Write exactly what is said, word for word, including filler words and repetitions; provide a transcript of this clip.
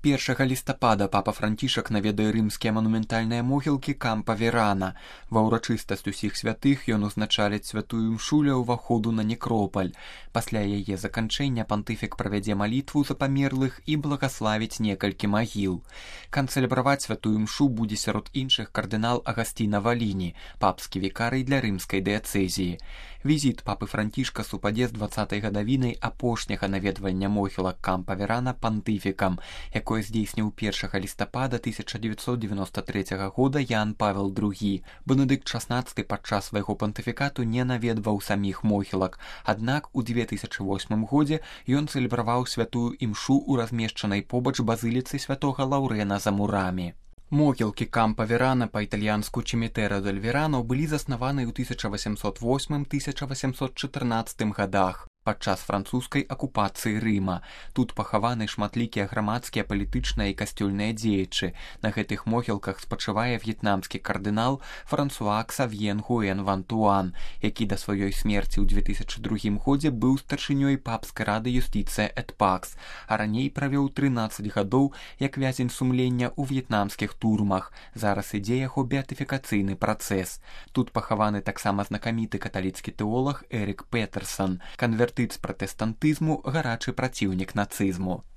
Першага лістапада папа Францішак наведае рымскія манументальныя могілкі Кампа Верана. Ва ўрачыстасць усіх святых ён узначаліць святую імшу ля ўваходу на некропаль. Пасля яе заканчэння пантыфік правядзе малітву за памерлых і благаславіць некалькі магіл. Канцэлябраваць святую імшу будзе сярод іншых кардынал Агасціна Валіні, папскі вікарый для рымскай дыяцэзіі. Візіт папы Францішка супадзе з дваццатай гадавінай апошняга наведвання могілак Кампа Верана пантыфікам, якое здзейсніў першага лістапада тысяча дзевяцьсот дзевяноста трэцяга года Ян Павел другі. Бенедыкт шаснаццаты падчас свайго пантыфікату не наведваў саміх могілак, аднак у дзве тысячы восьмым годзе ён цэлебраваў святую імшу ў размешчанай побач базыліцы святога Лаўрэна за мурамі. Могілкі Кампа Верана, па-італьянску Чімітэра дель Верано, былі заснаваны ў тысяча васямсот восьмым — тысяча васямсот чатырнаццатым гадах падчас французскай акупацыі Рыма. Тут пахаваны шматлікія грамадскія, палітычныя і касцёльныя дзеячы. На гэтых могілках спачывае в'етнамскі кардынал Франсуа Ксавье Нгуэн Ван Туан, які да сваёй смерці ў дзве тысячы другім годзе быў старшынёй папскай рады юстыцыя эт пакс, а раней правёў трынаццаць гадоў як вязень сумлення ў в'етнамскіх турмах. Зараз ідзе яго беатыфікацыйны працэс. Тут пахаваны таксама знакаміты каталіцкі тэолаг Эрік Петерсон, канвертыт з пратэстантызму, гарачы праціўнік нацызму.